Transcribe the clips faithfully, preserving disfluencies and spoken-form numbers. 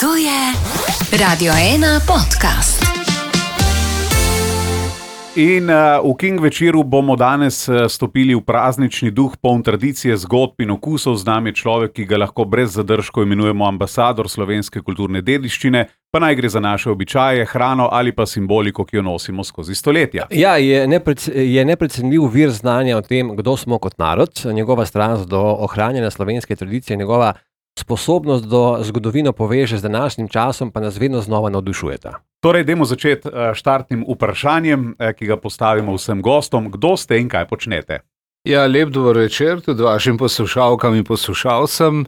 To je Radio ena podcast. In uh, v King večeru bomo danes uh, stopili v praznični duh, poln tradicije, zgodb in okusov. Z nami je človek, ki ga lahko brez zadržkov imenujemo ambasador slovenske kulturne dediščine, pa naj gre za naše običaje, hrano ali pa simboliko, ki jo nosimo skozi stoletja. Ja, je, neprec, je neprecenljiv vir znanja o tem, kdo smo kot narod, njegova strast do ohranjanja slovenske tradicije, njegova sposobnost do zgodovino poveže z današnjim časom, pa nas vedno znova navdušujeta. Torej, dajmo začeti štartnim vprašanjem, ki ga postavimo vsem gostom. Kdo ste in kaj počnete? Ja, lep dober večer tudi vašim poslušalkam in poslušalcem.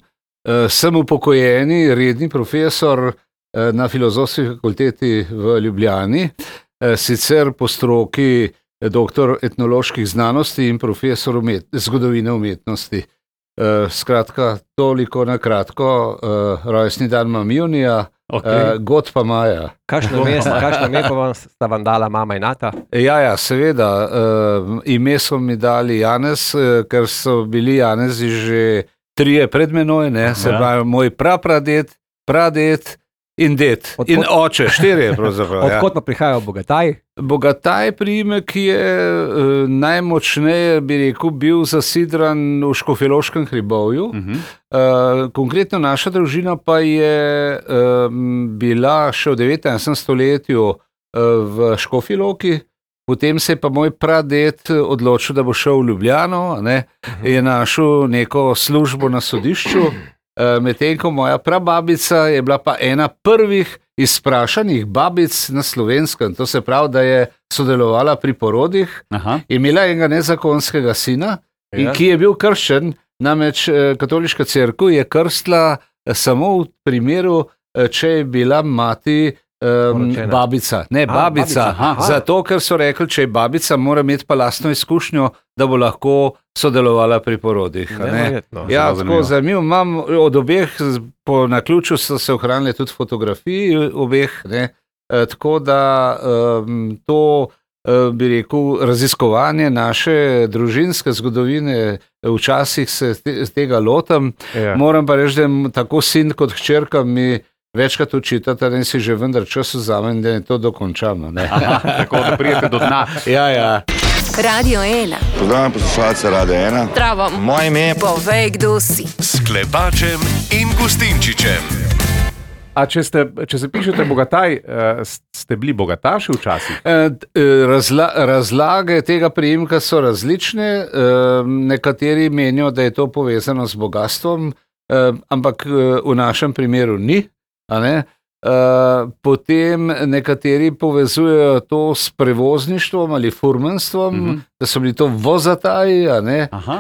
Sem upokojeni, redni profesor na Filozofski fakulteti v Ljubljani, sicer po stroki doktor etnoloških znanosti in profesor umet, zgodovine umetnosti. Skratka, toliko na kratko, rojstni dan imam junija, okay. God pa maja. Kakšno ime, kakšno ime pa vam sta vam dala mama in ata? Ja, ja, seveda. Ime so mi dali Janez, ker so bili Janezi že trije pred menoj, ne? Se pravi, moj prapradet, pradet in ded. Odkot, in oče, štirje pravzaprav. Odkot pa prihajajo Bogataj? Bogataj priimek je uh, najmočneje, bi rekel, bil zasidran v Škofjeloškem hribovju. Uh-huh. Uh, konkretno naša družina pa je um, bila še v devetnajstem stoletju uh, v Škofji Loki. Potem se je pa moj praded odločil, da bo šel v Ljubljano, ne? Uh-huh. Je našel neko službo na sodišču. Medtem ko moja prababica je bila pa ena prvih izprašanih babic na Slovenskem. To se pravi, da je sodelovala pri porodih. Aha. Imela enega nezakonskega sina, ja. in, ki je bil krščen, namreč katoliška cerkev je krstila samo v primeru, če je bila mati um, babica. Ne, A, babica. babica. Zato, ker so rekli, če je babica, mora imeti pa lastno izkušnjo, da bo lahko sodelovala pri porodih. Ne? Ja, tako zanimivo. Imam od obeh, po naključju so se ohranile tudi fotografiji obeh, ne? E, tako da um, to, uh, bi rekel, raziskovanje naše družinske zgodovine, včasih se te, tega lotam. Ja. Moram pa reči, da tako sin kot hčerka mi večkrat učitata, da si že vendar čas vzamem, da je to dokončano. Ne? Aha, tako da prijete do dna. Ja, ja. Radio ena. Pozdravljam poslušalce Radio ena. Zdravo. Moje ime. Povej, kdo si. S Klepačem in Gustinčičem. A če, ste, če se pišete Bogataj, ste bili bogataši včasih? Razla, razlage tega priimka so različne. Nekateri menijo, da je to povezano z bogatstvom, ampak v našem primeru ni. A ne? Uh, potem nekateri povezujejo to s prevozništvom ali furmanstvom, uh-huh. da so bili to vozataji, a ne? Uh,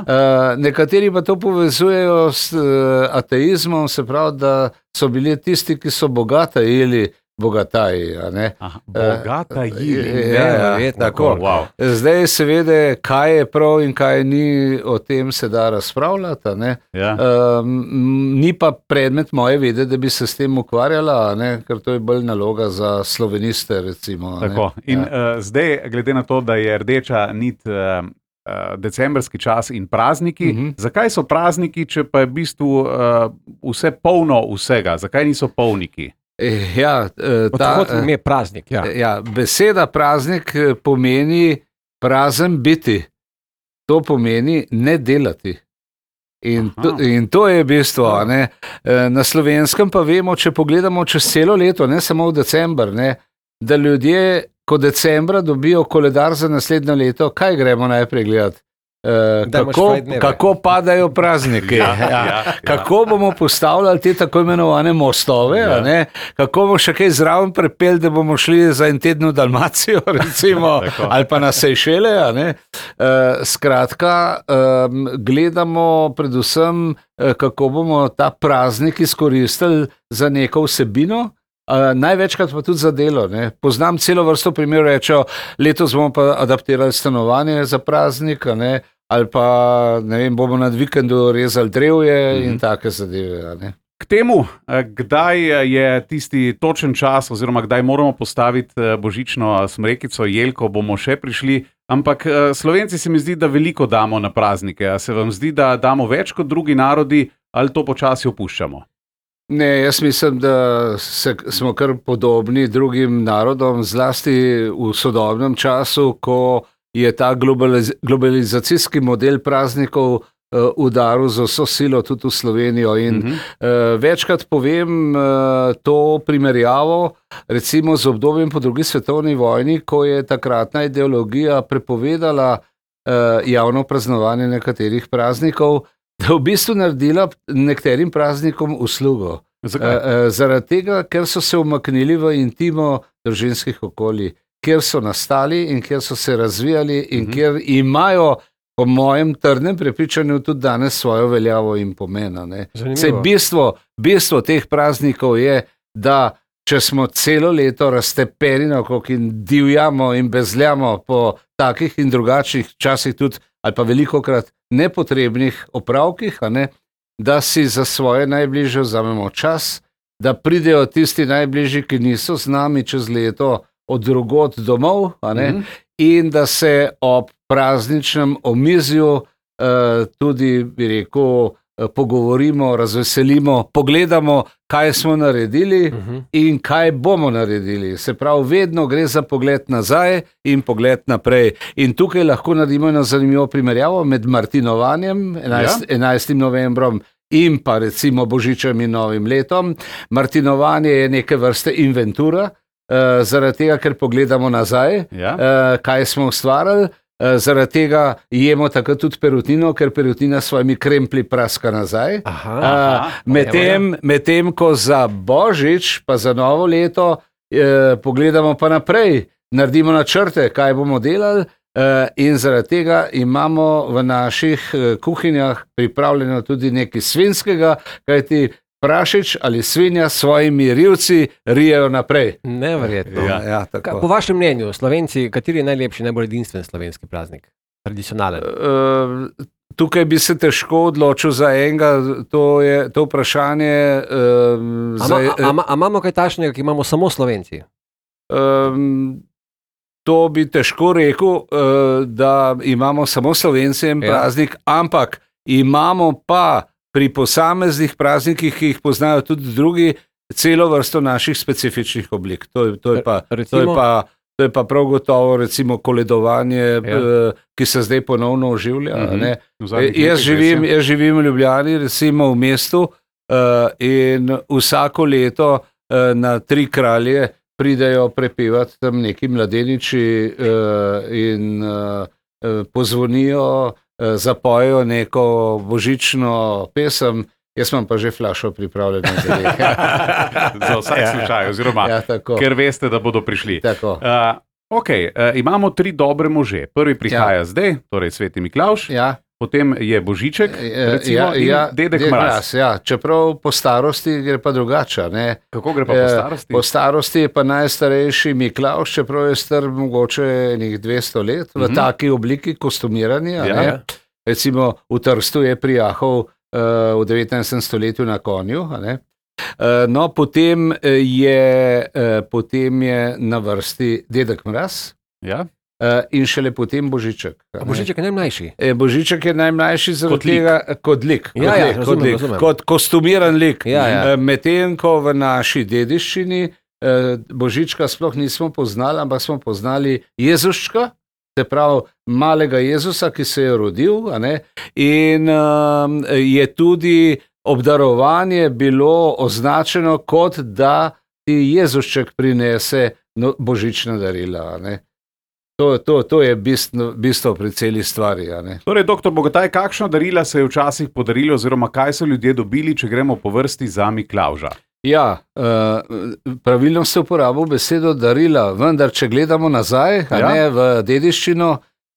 nekateri pa to povezujejo s uh, ateizmom, se pravi, da so bili tisti, ki so bogatajili, bogataji, a ne? Aha, bogatajili. Uh, ja, ja, ja, tako. Wow. Zdaj seveda, kaj je prav in kaj ni, o tem se da razpravljati, ne? Ja. Uh, ni pa predmet moje vede, da bi se s tem ukvarjala, ne? Ker to je bolj naloga za sloveniste, recimo. Tako. In ja. uh, zdaj, glede na to, da je rdeča nit uh, uh, decembrski čas in prazniki, uh-huh. zakaj so prazniki, če pa je v bistvu uh, vse polno vsega? Zakaj niso polniki? Ja, ta, ime je praznik. Ja. Ja, beseda praznik pomeni prazen biti. To pomeni ne delati. In to, in to je bistvo. Ne? Na Slovenskem pa vemo, če pogledamo čez celo leto, ne samo v december, ne, da ljudje, ko decembra dobijo koledar za naslednje leto, kaj gremo najprej gledati? Uh, kako, kako padajo prazniki, ja, ja, ja. Kako bomo postavljali te tako imenovane mostove, ja. ne? Kako bomo še kaj zraven prepeli, da bomo šli za en teden v Dalmacijo, recimo, ali pa na Sejšele. Uh, skratka, um, gledamo predvsem, uh, kako bomo ta praznik izkoristili za neko vsebino. Uh, največkrat pa tudi za delo. Ne? Poznam celo vrsto primerov, rečejo, letos bomo pa adaptirali stanovanje za praznik, ne? Ali pa ne vem, bomo nad vikendu rezali drevje mm-hmm. in take zadeve. Ne? K temu, kdaj je tisti točen čas oziroma kdaj moramo postaviti božično smrekico, jelko, bomo še prišli, ampak Slovenci se mi zdi, da veliko damo na praznike. A se vam zdi, da damo več kot drugi narodi ali to počasi opuščamo? Ne, jaz mislim, da se, smo kar podobni drugim narodom, zlasti v sodobnem času, ko je ta globaliz globalizacijski model praznikov uh, udaril z vso silo tudi v Slovenijo. In uh-huh. uh, večkrat povem uh, to primerjavo recimo z obdobjem po drugi svetovni vojni, ko je takratna ideologija prepovedala uh, javno praznovanje nekaterih praznikov, da v bistvu naredila nekaterim praznikom uslugo. Zakaj? Uh, uh, zaradi tega, ker so se umaknili v intimo družinskih okolij, kjer so nastali in kjer so se razvijali in uh-huh. kjer imajo, po mojem trdnem prepričanju, tudi danes svojo veljavo in pomena. Sej bistvo, bistvo teh praznikov je, da če smo celo leto raztepeni naokrog in divjamo in bezljamo po takih in drugačnih časih tudi, ali pa velikokrat nepotrebnih opravkih, a ne, da si za svoje najbližje vzamemo čas, da pridejo tisti najbližji, ki niso z nami čez leto od drugod domov, a ne, mm-hmm. in da se ob prazničnem omizju uh, tudi, bi rekel, uh, pogovorimo, razveselimo, pogledamo, kaj smo naredili uh-huh. in kaj bomo naredili. Se pravi, vedno gre za pogled nazaj in pogled naprej. In tukaj lahko naredimo eno zanimivo primerjavo med martinovanjem, enajstim novembrom, in pa recimo Božičem in Novim letom. Martinovanje je neke vrste inventura, uh, zaradi tega, ker pogledamo nazaj, ja. uh, kaj smo ustvarili. Zaradi tega jemo takrat tudi perutnino, ker perutnina s svojimi kremplji praska nazaj. Medtem med ko za Božič, pa za novo leto, eh, pogledamo pa naprej, naredimo načrte, kaj bomo delali, eh, in zaradi tega imamo v naših eh, kuhinjah pripravljeno tudi nekaj svinjskega, kajti prašič ali svinja s svojimi rivci rijejo naprej. Neverjetno. Ja, ja, po vašem mnenju, Slovenci, kateri je najlepši, najbolj edinstven slovenski praznik? Tradicionalen? Uh, tukaj bi se težko odločil za enega, to je to vprašanje. Uh, a, za, a, a, a imamo kaj takšnega, ki imamo samo Slovenci? Um, to bi težko rekel, uh, da imamo samo Slovenci en praznik, ja. Ampak imamo pa pri posameznih praznikih, ki jih poznajo tudi drugi, celo vrsto naših specifičnih oblik. To je, to je, pa, to je, pa, to je pa prav gotovo recimo koledovanje, ja. ki se zdaj ponovno oživlja. Mm-hmm. Ne? Jaz, živim, jaz živim v Ljubljani, recimo v mestu, uh, in vsako leto uh, na Tri kralje pridejo prepevati tam neki mladeniči uh, in uh, pozvonijo, zapojejo neko božično pesem, jaz imam pa že flašo pripravljeno za njih. Za vsak slučaj, oziroma, ja, ker veste, da bodo prišli. Tako. Uh, ok, uh, imamo tri dobre može. Prvi prihaja ja. zdaj, torej Sveti Miklavž, ja. potem je Božiček, recimo, ja, ja, in Dedek Mraz. Ja. Čeprav po starosti gre pa drugače. Ne? Kako gre pa po starosti? Po starosti je pa najstarejši Miklavž, čeprav je star mogoče nekih dvesto let, v mm-hmm. taki obliki kostumiranja. Ja. Recimo v Trstu je prijahal uh, v devetnajstem stoletju na konju. Uh, no, potem je, uh, potem je na vrsti Dedek Mraz. Ja. Uh, in šele potem Božiček. Božiček je najmlajši. E, Božiček je najmlajši zaradi tega, kot lik. Kot, ja, ja, lik, razumem, kot, lik razumem. kot kostumiran lik. Ja, ja. uh, Medtem ko v naši dediščini uh, Božička sploh nismo poznali, ampak smo poznali Jezuščka, se pravi malega Jezusa, ki se je rodil, a ne? In uh, je tudi obdarovanje bilo označeno kot da ti Jezušček prinese no, božična darila. A ne? To, to, to je bistvo, bistvo pri celi stvari. Torej, doktor Bogataj, kakšno darila se je včasih podarilo, oziroma kaj so ljudje dobili, če gremo po vrsti za Miklavža? Ja, uh, pravilno ste uporabil besedo darila, vendar če gledamo nazaj, a ja. ne v dediščino,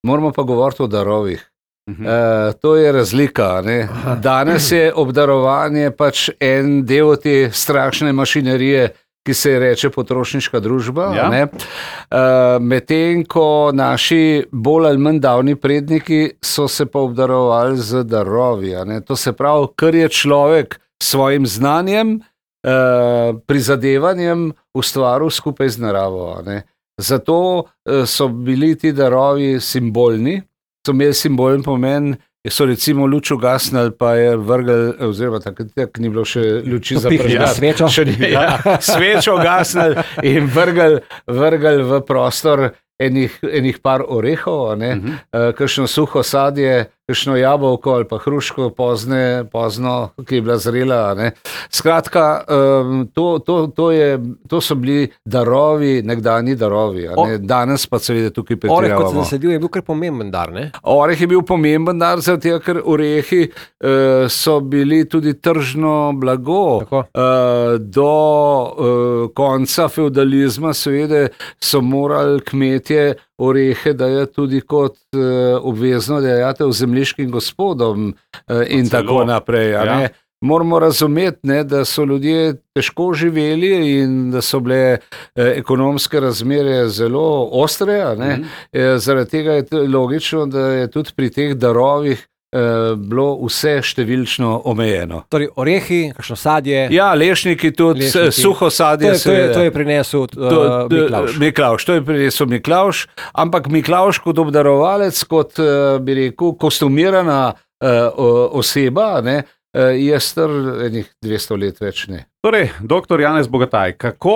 moramo pa govoriti o darovih. Uh-huh. Uh, to je razlika. Ne? Danes je obdarovanje pač en del te strašne mašinerije, ki se reče potrošniška družba. Ja. Ne? Uh, medtem ko naši bolj ali manj davni predniki so se pa obdarovali z darovi. Ne? To se pravi, kar je človek s svojim znanjem, uh, prizadevanjem ustvaril skupaj z naravo. Ne? Zato uh, so bili ti darovi simbolni, so imeli simbolen pomen so recimo luč ugasnili, pa je vrgel, oziroma takrat ni bilo še luči za Topih, ja, prežgat. svečo. Še ni, ja, svečo ugasnili in vrgel, vrgel v prostor enih, enih par orehov, ne, uh-huh. uh, kakšno suho sadje, kakšno jabolko ali pa hruško pozne, pozno, ki je bila zrela. Ne. Skratka, um, to, to, to, je, to so bili darovi, nekdanji darovi. A ne. Danes pa seveda tukaj pretiravamo. Oreh kot se zasadil je bil kar pomemben dar, ne? Oreh je bil pomemben dar, zato ker orehi uh, so bili tudi tržno blago. Uh, do uh, konca feudalizma seveda so morali kmetje orehe dajati tudi kot uh, obvezno dajatev zemljiškim gospodom uh, in Celo. tako naprej. A ne? Ja. Moramo razumeti, ne, da so ljudje težko živeli in da so bile eh, ekonomske razmere zelo ostre. A ne? Mm-hmm. eh, zaradi tega je t- logično, da je tudi pri teh darovih eh, bilo vse številčno omejeno. Torej, orehi, kakšno sadje. Ja, lešniki tudi, Lešniki. suho sadje. To je, to je, to je prinesel uh, To, Miklavž. Miklavž, to je prinesel Miklavž, ampak Miklavž kot obdarovalec, kot uh, bi rekel, kostumirana uh, oseba, ne, uh, je star enih dvesto let več ne. Torej, doktor Janez Bogataj, kako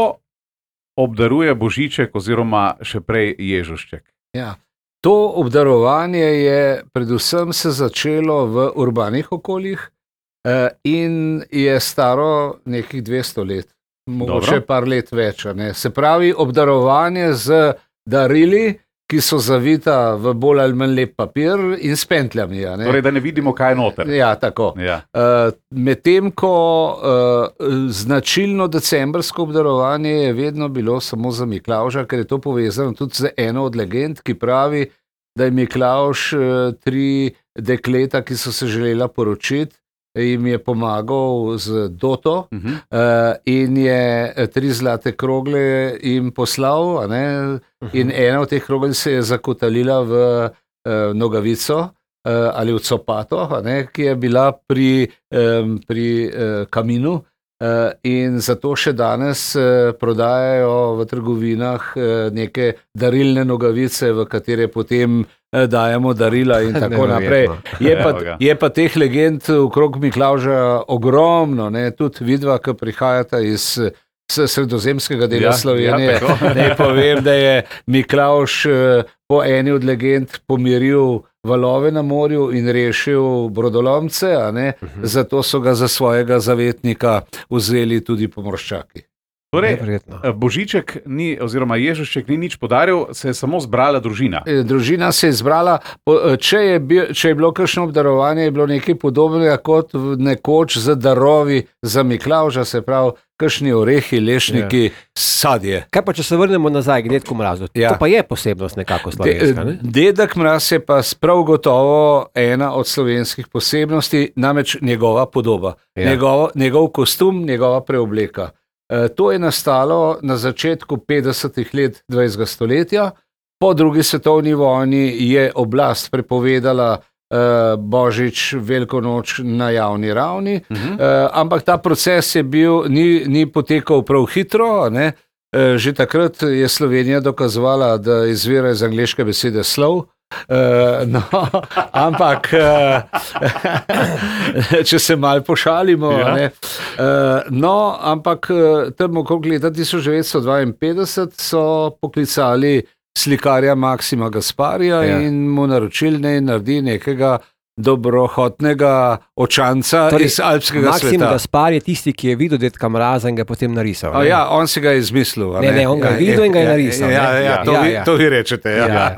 obdaruje Božiček oziroma še prej Ježušček? Ja. To obdarovanje je predvsem se začelo v urbanih okoljih uh, in je staro nekih dvesto let, mogoče Dobro. par let več. a Ne. Se pravi, obdarovanje z darili, ki so zavita v bolj ali manj lep papir in s pentljami. a Ne. Torej, da ne vidimo, kaj je noter. Ja, tako. Ja. Uh, Medtem ko uh, značilno decembrsko obdarovanje je vedno bilo samo za Miklavža, ker je to povezano tudi z eno od legend, ki pravi, da je Miklavž uh, tri dekleta, ki so se želela poročiti, jim je pomagal z doto Uh-huh. uh, in je tri zlate krogle jim poslal, a ne, in ena od teh krogel se je zakotalila v uh, nogavico uh, ali v copato, a ne, ki je bila pri, um, pri uh, kaminu. Uh, in zato še danes uh, prodajajo v trgovinah uh, neke darilne nogavice, v katere potem uh, dajemo darila in tako naprej. Je pa, je pa teh legend okrog Miklavža ogromno, ne, tudi vidva, ki prihajata iz s sredozemskega dela Ja, Slovenije. ja, Ne povem, da je Miklavž uh, po eni od legend pomiril valove na morju in rešil brodolomce, a ne? Uh-huh. Zato so ga za svojega zavetnika vzeli tudi pomorščaki. Torej, Neverjetno. Božiček ni, oziroma Ježušček ni nič podaril, se je samo zbrala družina. E, Družina se je zbrala, po- če je, bil, če je bilo kakšno obdarovanje, je bilo nekaj podobnega kot v- nekoč z darovi za Miklavža, se pravi, kakšni orehi, lešniki, sadje. Kaj pa, če se vrnemo nazaj k Dedku Mrazu? Ja. To pa je posebnost nekako slovenska, ne? De, Dedek Mraz je pa prav gotovo ena od slovenskih posebnosti, namreč njegova podoba, Ja. njegov, njegov kostum, njegova preobleka. E, to je nastalo na začetku petdesetih let dvajsetega stoletja. Po drugi svetovni vojni je oblast prepovedala Uh, Božič, Veliko noč na javni ravni, uh-huh. uh, ampak ta proces je bil, ni, ni potekal prav hitro. a Ne? Uh, že takrat je Slovenija dokazovala, da izvira iz angleške besede slov. Uh, no, ampak, uh, če se mal pošalimo, Ja. ne, uh, no, ampak uh, tam okrog leta tisoč devetsto dvainpetdeset so poklicali slikarja Maksima Gasparija Ja. in mu naročili, naj naredi nekega dobrohotnega očanca Torej, iz alpskega Maksim sveta. Gaspar je tisti, ki je videl Dedka Mraza in ga potem narisal. A ne? ja, on si ga je izmislil. a Ne, ne, on ga je videl in ga je narisal, Ja, ne? ja, Ja, to, ja, vi, ja. to vi rečete. Ja. Ja,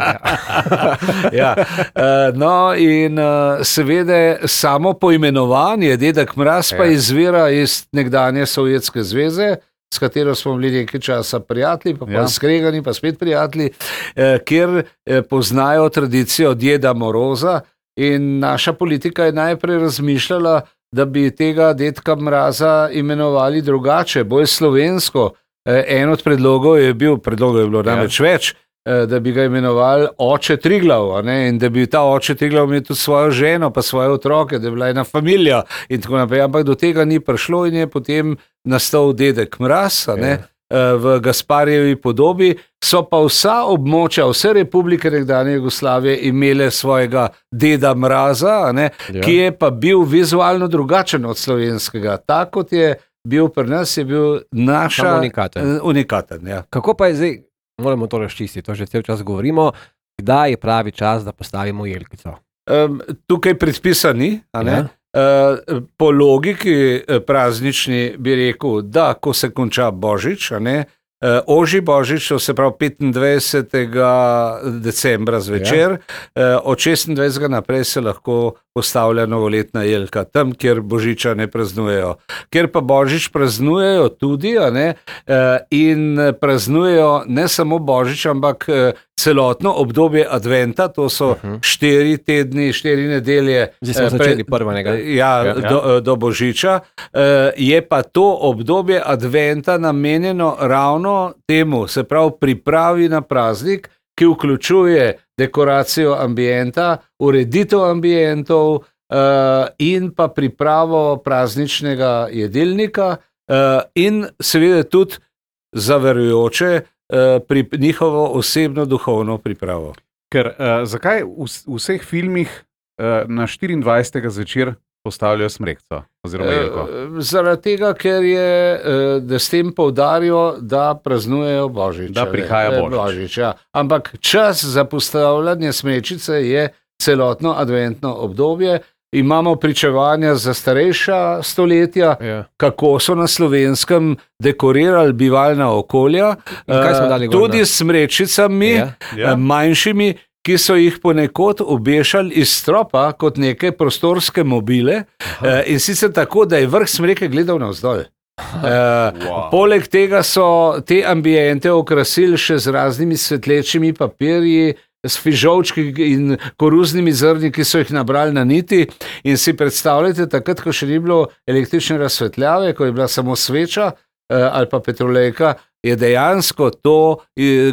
ja. Uh, no, in uh, seveda samo poimenovanje Dedek Mraz pa Ja. izvira iz nekdanje Sovjetske zveze, s katero smo bili nekaj časa prijatelji, pa, Ja. pa skregani, pa spet prijatelji, eh, kjer eh, poznajo tradicijo Djeda Moroza. In naša politika je najprej razmišljala, da bi tega Dedka Mraza imenovali drugače, bolj slovensko. Eh, En od predlogov je bil, predlogov je bilo namreč več, eh, da bi ga imenovali Oče Triglav, a ne, in da bi ta Oče Triglav imel tudi svojo ženo, pa svoje otroke, da bi bila ena familija in tako naprej. Ampak do tega ni prišlo in je potem nastal Dedek Mraz, a ne. v Gasparjevi podobi, so pa vsa območja, vse republike nekdanje Jugoslavije imele svojega deda Mraza, a ne, Ja. ki je pa bil vizualno drugačen od slovenskega. Tak kot je bil pri nas, je bil naša Samo unikaten. eh, unikaten, ja. Kako pa je zdaj, moramo to razčistiti, to že cel čas govorimo, kdaj je pravi čas, da postavimo jelkico? Um, tukaj predpisa ni, a ne? Ja. Uh, po logiki eh, praznični bi rekel, da ko se konča Božič, a ne, uh, ožji Božič, to se pravi petindvajsetega decembra zvečer, ja. uh, od šestindvajsetega naprej se lahko postavlja novoletna jelka, tam, kjer Božiča ne praznujejo. Ker pa Božič praznujejo tudi, a ne, uh, in praznujejo ne samo Božič, ampak uh, celotno obdobje adventa, to so uh -huh. štiri tedni, štiri nedelje. Zdaj smo eh, začeli prvega. Ja, Ja, ja. ja. Do, do Božiča. Eh, Je pa to obdobje adventa namenjeno ravno temu, se pravi pripravi na praznik, ki vključuje dekoracijo ambienta, ureditev ambientov uh, in pa pripravo prazničnega jedilnika uh, in seveda tudi za verujoče uh, pri njihovo osebno duhovno pripravo. Ker uh, zakaj v, v vseh filmih uh, na štiriindvajsetega zvečer postavljajo smrekco oziroma jelko? Uh, zaradi tega, ker je, uh, da s tem poudarijo, da praznujejo Božič. Da prihaja ne, Božič. Božič ja. Ampak čas za postavljanje smrečice je celotno adventno obdobje. Imamo pričevanja za starejša stoletja, Ja. kako so na Slovenskem dekorirali bivalna okolja, In kaj smo dali eh, gor, tudi ne? s smrečicami, Ja. Ja. eh, manjšimi, ki so jih ponekod obešali iz stropa kot neke prostorske mobile, eh, in sicer tako, da je vrh smreke gledal navzdol. Uh, wow. Poleg tega so te ambiente okrasili še z raznimi svetlečimi papirji, s fižolčki in koruznimi zrni, ki so jih nabrali na niti. In si predstavljate, takrat, ko še ni bilo električne razsvetljave, ko je bila samo sveča uh, ali pa petrolejka, je dejansko to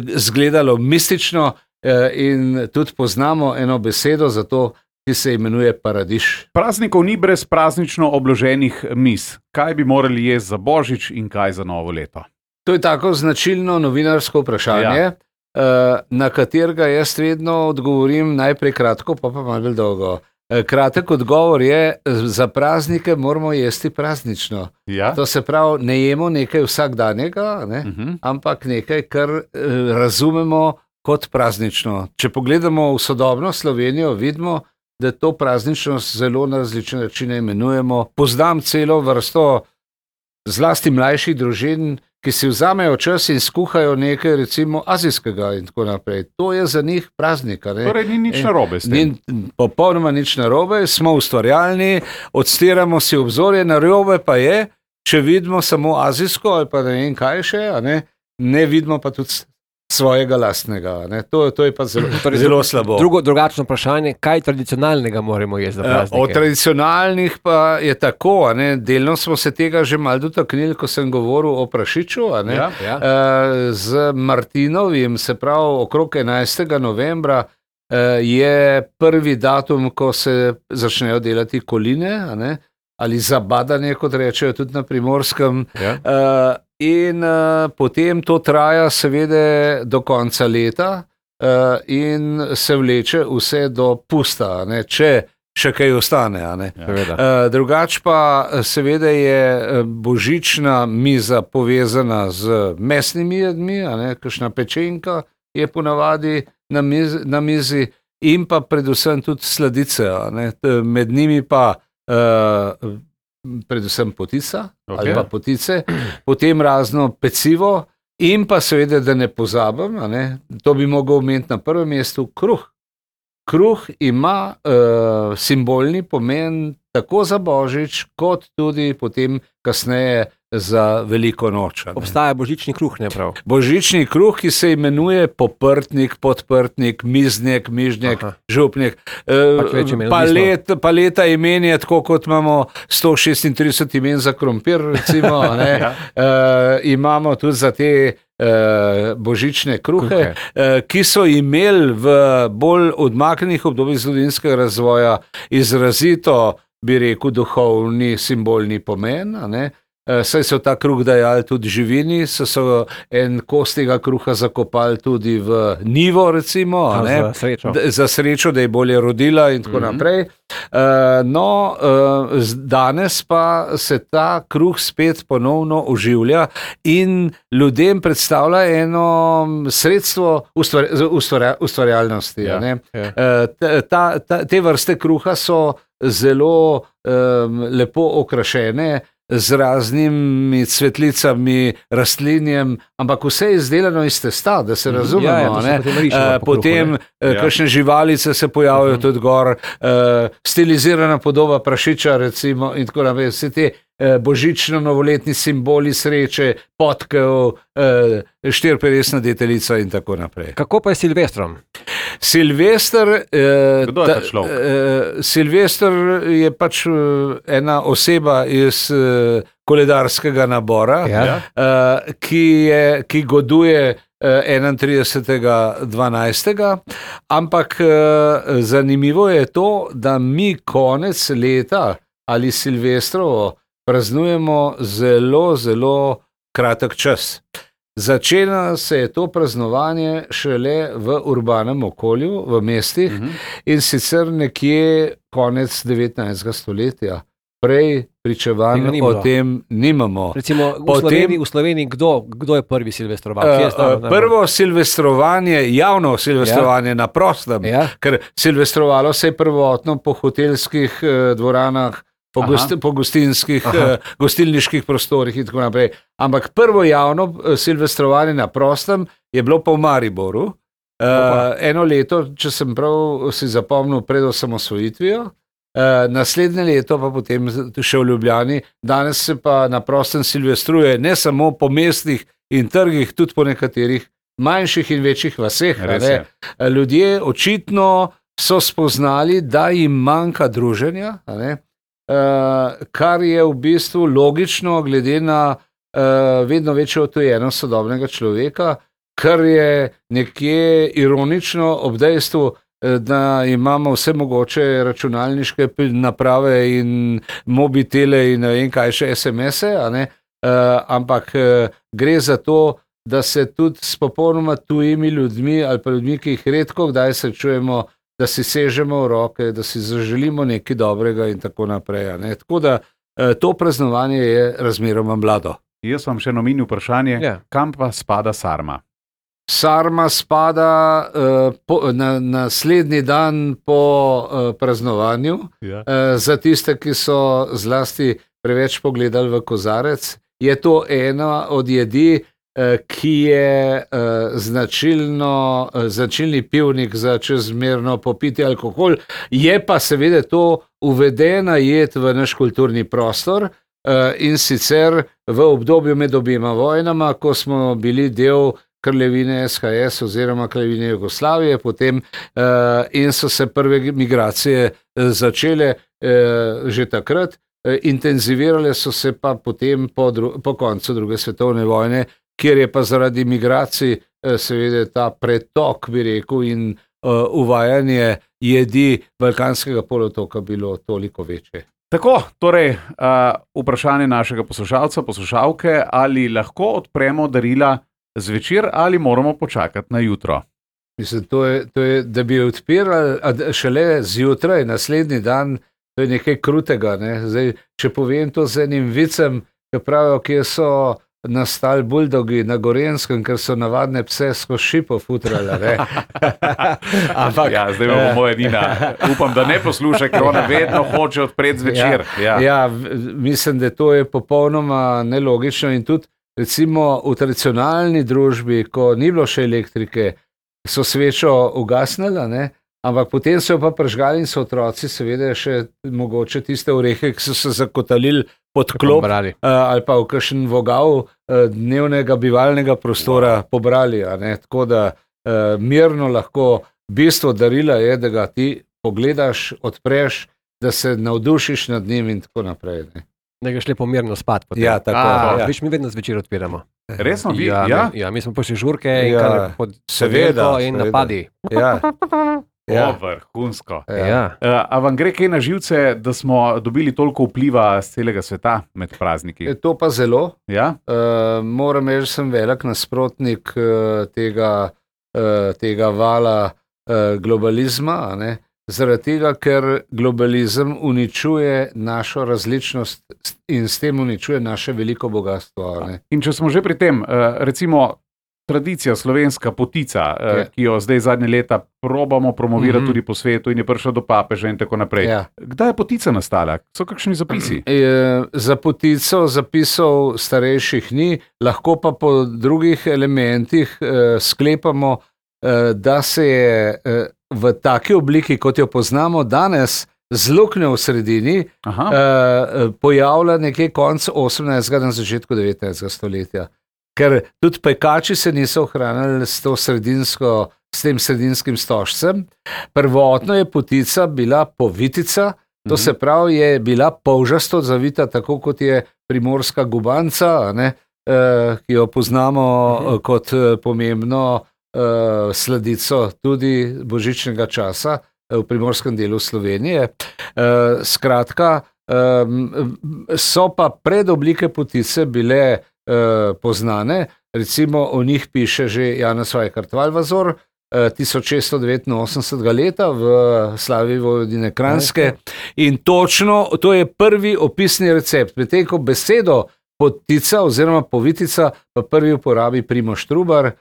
izgledalo mistično uh, in tudi poznamo eno besedo za to, ki se imenuje paradiž. Praznikov ni brez praznično obloženih miz. Kaj bi morali jesti za Božič in kaj za novo leto? To je tako značilno novinarsko vprašanje, Ja. ja. na katerega jaz vedno odgovorim najprej kratko, pa pa malo bolj dolgo. Kratek odgovor je, za praznike moramo jesti praznično. Ja? To se pravi, ne jemo nekaj vsakdanjega, ne? Uh -huh. ampak nekaj, kar eh, razumemo kot praznično. Če pogledamo v sodobno Slovenijo, vidimo, da to prazničnost zelo na različne načine imenujemo. Poznam celo vrsto zlasti mlajših družin, ki si vzamejo čas in skuhajo nekaj recimo azijskega in tako naprej. To je za njih praznik. a ne? Torej ni nič E, narobe s tem. Ni popolnoma nič narobe, smo ustvarjalni, odstiramo si obzorje, narobe pa je, če vidimo samo azijsko ali pa ne vem kaj še, a ne, ne vidimo pa tudi svojega lastnega. a Ne? To, to je pa zelo, Torej, zelo slabo. Drugo, drugačno vprašanje, kaj tradicionalnega moramo jesti za Eh, praznike? Od tradicionalnih pa je tako, a ne, delno smo se tega že malo dotaknili, ko sem govoril o prašiču, a ne. Ja, ja. Eh, Z Martinovim, se pravi okrog enajstega novembra, eh, je prvi datum, ko se začnejo delati koline, a ne, ali zabadanje, kot rečejo tudi na Primorskem. Ja. Uh, in uh, potem to traja seveda do konca leta uh, in se vleče vse do pusta, a ne, če še kaj ostane. a ne. Seveda. Uh, drugač pa seveda je eh, božična miza povezana z mesnimi jedmi, a ne, kakšna pečenka je ponavadi na mizi, na mizi in pa predvsem tudi sladice, a ne. T- Med njimi pa uh, predvsem potica Ok. ali pa potice, potem razno pecivo in pa seveda, da ne pozabim, a ne, to bi mogel omeniti na prvem mestu, kruh. Kruh ima uh, simbolni pomen tako za Božič, kot tudi potem kasneje za Veliko noč. a ne. Obstaja božični kruh, ne prav? Božični kruh, ki se imenuje poprtnik, podprtnik, miznek, mižnjek, Aha. župnik. Pač več imen, Palet, paleta imen je tako, kot imamo sto šestintrideset imen za krompir, recimo. a ne. Ja. uh, imamo tudi za te uh, božične kruhe, Kruhe. uh, ki so imeli v bolj odmaknjenih obdobjih zgodovinskega razvoja izrazito, bi rekel, duhovni, simbolni pomen. a ne. Saj so ta kruh dajali tudi živini, so, so en kos tega kruha zakopali tudi v nivo, recimo, A, ne, za srečo. d- za srečo, da je bolje rodila in tako Mhm. naprej. Uh, no, uh, z- danes pa se ta kruh spet ponovno oživlja in ljudem predstavlja eno sredstvo ustvar, ustvarja, ustvarjalnosti. Ja, a ne. ja. Uh, ta, ta, ta, te vrste kruha so zelo um, lepo okrašene z raznimi cvetlicami, rastlinjem, ampak vse je izdelano iz testa, da se razumemo. Ja, ja, to se ne. potem riše Eh, po kruhu, Potem ne. eh, Ja. kakšne živalice se pojavijo tudi gor, eh, stilizirana podoba prašiča, recimo, in tako naprej. Vse te eh, božično-novoletni simboli sreče, potkev, eh, štiriperesna deteljica in tako naprej. Kako pa je s Silvestrom? Silvester, eh, Kdo je ta človek? Eh, Silvester je pač eh, ena oseba iz eh, koledarskega nabora, Ja. Ja. eh, ki, je, ki goduje eh, enaintridesetega dvanajstega Ampak eh, zanimivo je to, da mi konec leta ali Silvestrovo praznujemo zelo, zelo kratek čas. Začela se je to praznovanje šele v urbanem okolju, v mestih, Mhm. in sicer nekje konec devetnajstega stoletja. Prej pričevanj Tega ni o bilo. tem nimamo. Recimo v Potem- Sloveniji, v Sloveniji kdo, kdo je prvi silvestroval? Kje je Uh, stalo uh, najbolj? prvo silvestrovanje, javno silvestrovanje ja. na prostem, Ja. ker silvestrovalo se je prvotno po hotelskih uh, dvoranah, po, Aha. gost, po gostinskih, Aha. uh, gostilniških prostorih in tako naprej. Ampak prvo javno uh, silvestrovanje na prostem je bilo pa v Mariboru. Uh, eno leto, če sem prav si zapomnil, pred osamosvojitvijo. Uh, naslednje leto pa potem z- še v Ljubljani. Danes se pa na prostem silvestruje ne samo po mestih in trgih, tudi po nekaterih manjših in večjih vaseh. a Res ne. je. Ljudje očitno so spoznali, da jim manjka druženja, a ne. Uh, kar je v bistvu logično, glede na uh, vedno večjo odtujenost sodobnega človeka, kar je nekje ironično ob dejstvu, eh, da imamo vse mogoče računalniške pil- naprave in mobitele in ne vem kaj še es em es-e, a ne, uh, ampak uh, gre za to, da se tudi s popolnoma tujimi ljudmi ali pa ljudmi, ki jih redko kdaj srečujemo, da si sežemo v roke, da si zaželimo nekaj dobrega in tako naprej. a ne. Tako da uh, to praznovanje je razmeroma mlado. Jaz vam še nominil vprašanje, Ja. kam pa spada sarma? Sarma spada uh, po, na naslednji dan po uh, praznovanju. Ja. Uh, za tiste, ki so zlasti preveč pogledali v kozarec, je to ena od jedi, uh, ki je uh, značilno, uh, značilni pivnik za čezmerno popiti alkohol. Je pa seveda to uvedena jed v naš kulturni prostor. Uh, in sicer v obdobju med obima vojnama, ko smo bili del kraljevine es ha es oziroma kraljevine Jugoslavije, potem uh, in so se prve migracije uh, začele uh, že takrat, uh, intenzivirale so se pa potem po, dru- po koncu druge svetovne vojne, kjer je pa zaradi migracij uh, seveda ta pretok, bi rekel, in uh, uvajanje jedi Balkanskega polotoka bilo toliko večje. Tako, torej, uh, vprašanje našega poslušalca, poslušalke, ali lahko odpremo darila zvečer ali moramo počakati na jutro? Mislim, to je, to je, da bi odpirali a d- šele zjutraj, naslednji dan, to je nekaj krutega. Ne? Zdaj, če povem to z enim vicem, ki pravijo, kje so nastali buldogi na Gorenskem, ker so navadne pse skozi šipo futrali. ne. Ampak, Ja, zdaj bomo eh, moja Nina. Upam, da ne posluša, ker ona vedno hoče odpreti zvečer. Ja. Ja, v- mislim, da to je popolnoma nelogično in tudi recimo v tradicionalni družbi, ko ni bilo še elektrike, so svečo ugasnili, a ne, ampak potem so jo pa prižgali in so otroci seveda še mogoče tiste orehe, ki so se zakotalili pod klop Brali. eh, ali pa v kakšen vogal eh, dnevnega bivalnega prostora pobrali. A ne. Tako da eh, mirno lahko bistvo darila je, da ga ti pogledaš, odpreš, da se navdušiš nad njim in tako naprej. Ne. Da greš lepo mirno spat. potem. Ja, tako, A, ja. Viš, mi vedno zvečer odpiramo. Resno, vi? Ja, Ja? mi, ja, mi smo pošli žurke in Ja, kar pod seveda, podelko in seveda. napadi. Ja. Ja. O, vrhunsko. Ja. Uh, a vam gre kaj na živce, da smo dobili toliko vpliva z celega sveta med prazniki? Je to pa zelo. Ja? Uh, moram reči, sem velik nasprotnik uh, tega, uh, tega vala uh, globalizma, a ne? Zaradi tega, ker globalizem uničuje našo različnost in s tem uničuje naše veliko bogatstvo. A ne? In če smo že pri tem, uh, recimo, tradicija slovenska potica, Ja. ki jo zdaj zadnje leta probamo promovirati Mhm. tudi po svetu in je prišla do papeža in tako naprej. Ja. Kdaj je potica nastala? So kakšni zapisi? E, za potico zapisov starejših ni, lahko pa po drugih elementih e, sklepamo, e, da se je e, v taki obliki, kot jo poznamo danes, z luknjo v sredini, Aha. e, pojavlja nekje konc osemnajstega, na začetku devetnajstega stoletja. Ker tudi pekači se niso ohranili s, to sredinsko, s tem sredinskim stožcem. Prvotno je potica bila povitica, to se pravi, je bila polžasto zavita, tako kot je primorska gubanca, a ne, eh, ki jo poznamo eh, kot eh, pomembno eh, sladico tudi božičnega časa eh, v primorskem delu Slovenije. Eh, skratka, eh, so pa predoblike potice bile Uh, poznane, recimo o njih piše že Janez Vajkard Valvazor uh, tisoč šeststo devetinosemdesetega leta v slavi Vojvodine Kranjske in točno to je prvi opisni recept, medtem ko besedo potica oziroma povitica pa prvi uporabi Primož Trubar uh,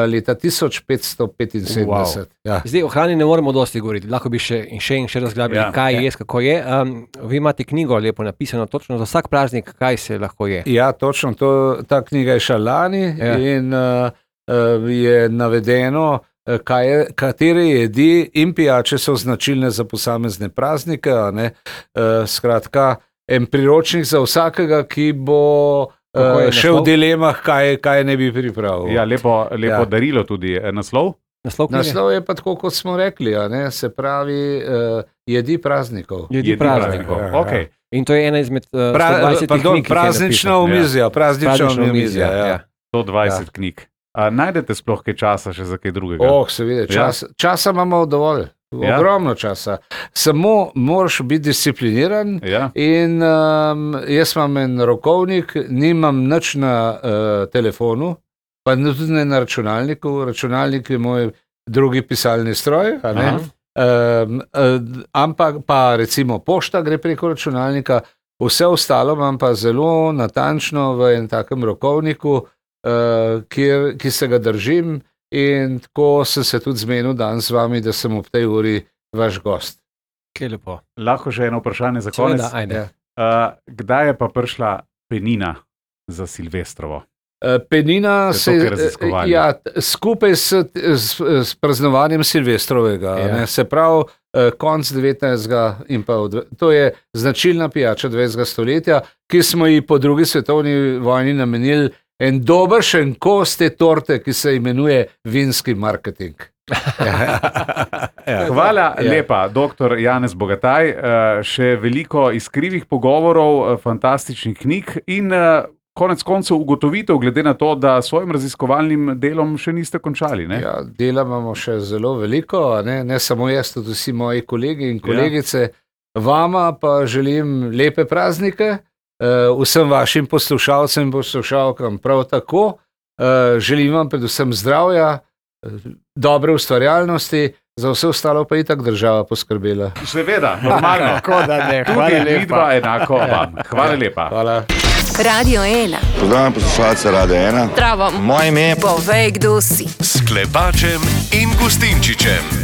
leta tisoč petsto petinsedemdeset. Wow. Ja. Zdaj o hrani ne moremo dosti govoriti, lahko bi še in še in še razglabili, Ja. ja. kaj Ja. je, kako je. Um, vi imate knjigo lepo napisano, točno za vsak praznik, kaj se lahko je. Ja, točno, to, ta knjiga je šla lani Ja. in uh, uh, je navedeno, uh, kaj je, katere jedi in pijače so značilne za posamezne praznike. A ne? Uh, skratka, en priročnik za vsakega, ki bo Kako je uh, še v naslov? dilemah, kaj, kaj ne bi pripravil. Ja, lepo, lepo Ja. darilo tudi. E, Naslov? Naslov knjige? Naslov je pa tako, kot smo rekli, a ne? Se pravi, uh, jedi praznikov. Jedi Jedi praznikov. praznikov. Okej. In to je ena izmed uh, Pra, sto dvajsetih pardon, knjig, ki jih je praznična napisal. omizja, praznična Praznična omizja. Ja. ja. sto dvajset knjig. A najdete sploh kaj časa še za kaj drugega? Oh, seveda, čas, ja. Časa imamo dovolj, Ja. ogromno časa. Samo moraš biti discipliniran Ja. in um, jaz imam en rokovnik, nimam nič na uh, telefonu, pa tudi ne na računalniku. Računalnik je moj drugi pisalni stroj, a ne? Um, uh, ampak pa recimo pošta gre preko računalnika, vse ostalo imam pa zelo natančno v enem takem rokovniku, uh, kjer, ki se ga držim. In tako sem se tudi zmenil danes z vami, da sem ob tej uri vaš gost. Kaj lepo. Lahko še eno vprašanje za konec. Seveda, ajde. Ja. Uh, kdaj je pa prišla penina za Silvestrovo? Uh, Penina Ste se to kaj raziskovali? ja, t- skupaj s, s, s praznovanjem Silvestrovega, Ja. ne, se pravi uh, konc devetnajstega in pa v dve- to je značilna pijača dvajsetega stoletja, ki smo ji po drugi svetovni vojni namenili en dobršen kos te torte, ki se imenuje vinski marketing. Ja. Hvala Ja. lepa, doktor Janez Bogataj. Uh, še veliko iskrivih pogovorov, uh, fantastičnih knjig in uh, konec koncev ugotovitev, glede na to, da s svojim raziskovalnim delom še niste končali. Ne? Ja, dela imamo še zelo veliko, a ne, ne samo jaz, tudi vsi moji kolegi in kolegice. Vama pa želim lepe praznike, uh, vsem vašim poslušalcem in poslušalkam prav tako. Uh, želim vam predvsem zdravja, uh, dobre ustvarjalnosti, za vse ostalo pa je itak država poskrbela. Seveda, normalno. Tako da ne, Tudi vidva enako vam. Hvala lepa. Hvala. Radio ena. Pozdravljam poslušalce Radia ena. Zdravo. Moje ime je Povej, kdo si. S Klepačem in Gustinčičem.